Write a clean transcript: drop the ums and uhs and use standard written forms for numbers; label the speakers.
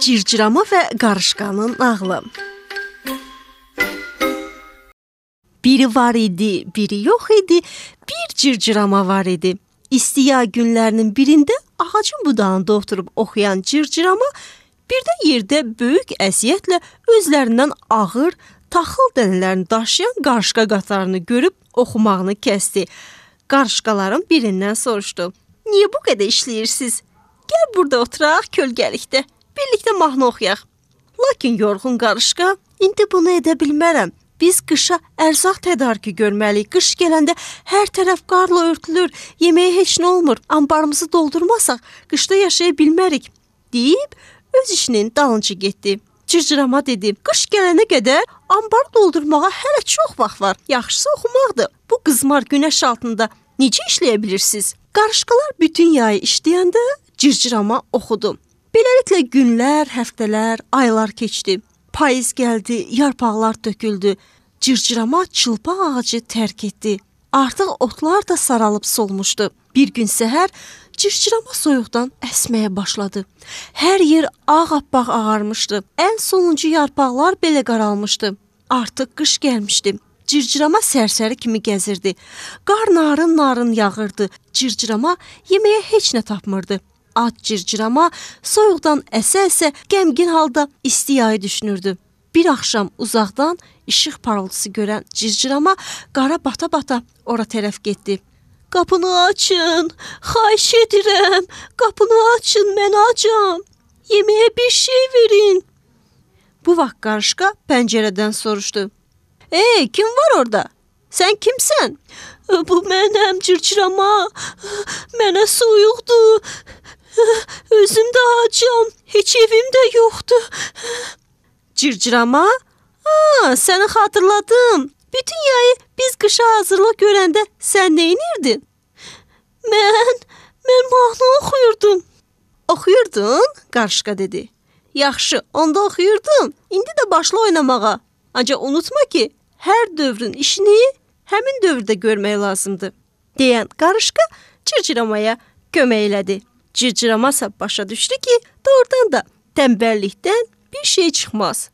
Speaker 1: Cırcırama və qarışqanın nağılı. Biri var idi, biri yox idi, bir cırcırama var idi. İsti yay günlərinin birində ağacın budağında oturub oxuyan cırcırama birdən yerdə böyük əziyyətlə özlərindən ağır, taxıl dənələrini daşıyan qarışqa qatarını görüb oxumağını kəsdi. Qarışqaların birindən soruşdu. Niyə bu qədər işləyirsiniz? Gəl burada oturaq kölgəlikdə, birlikdə mahnı oxuyaq. Lakin yorğun qarışqa, indi bunu edə bilmərəm. Biz qışa ərzaq tədarükü görməliyik. Qış gələndə hər tərəf qarla örtülür, yeməyə heç nə olmur. Ambarımızı doldurmasaq qışda yaşaya bilmərik, deyib öz işinin dalınca getdi. Cırcırama dedi, qış gələnə qədər ambarı doldurmağa hələ çox vaxt var. Yaxşısı oxumaqdır. Bu qızmar günəş altında necə işləyə bilirsiniz? Qarışqalar bütün yayı işləyəndə cırcırama oxudu. Beləliklə günlər, həftələr, aylar keçdi. Payız gəldi, yarpaqlar töküldü. Cırcırama çılpaq ağacı tərk etdi. Artıq otlar da saralıb solmuşdu. Bir gün səhər cırcırama soyuqdan əsməyə başladı. Hər yer ağappaq ağarmışdı. Ən sonuncu yarpaqlar belə qaralmışdı. Artıq qış gəlmişdi. Cırcırama sərsəri kimi gəzirdi. Qar narın-narın yağırdı. Cırcırama yeməyə heç nə tapmırdı. Ac cırcırama soyuqdan əsə-əsə qəmgin halda isti yayı düşünürdü. Bir axşam uzaqdan işıq parıltısı görən cırcırama qara bata-bata ora tərəf getdi. Qapını açın, xahiş edirəm, qapını açın, mən acam, yeməyə bir şey verin. Bu vaxt qarışqa pəncərədən soruşdu. Kim var orada? Sən kimsən? Bu mənəm cırcırama, mənə soyuqdur. Özüm də acam, heç evim də yoxdur. Cırcırama, səni xatırladım. Bütün yayı biz qışa hazırlıq görəndə sən nə edirdin? Mən mahnı oxuyurdum. Oxuyurdun? Qarışqa dedi. Yaxşı, onda oxuyurdun. İndi də başla oynamağa. Ancaq unutma ki, hər dövrün işini həmin dövrdə görmək lazımdır. Deyən qarışqa cırcıramaya kömək elədi. Cırcıramasa başa düşdü ki, doğrudan da tənbəllikdən bir şey çıxmaz.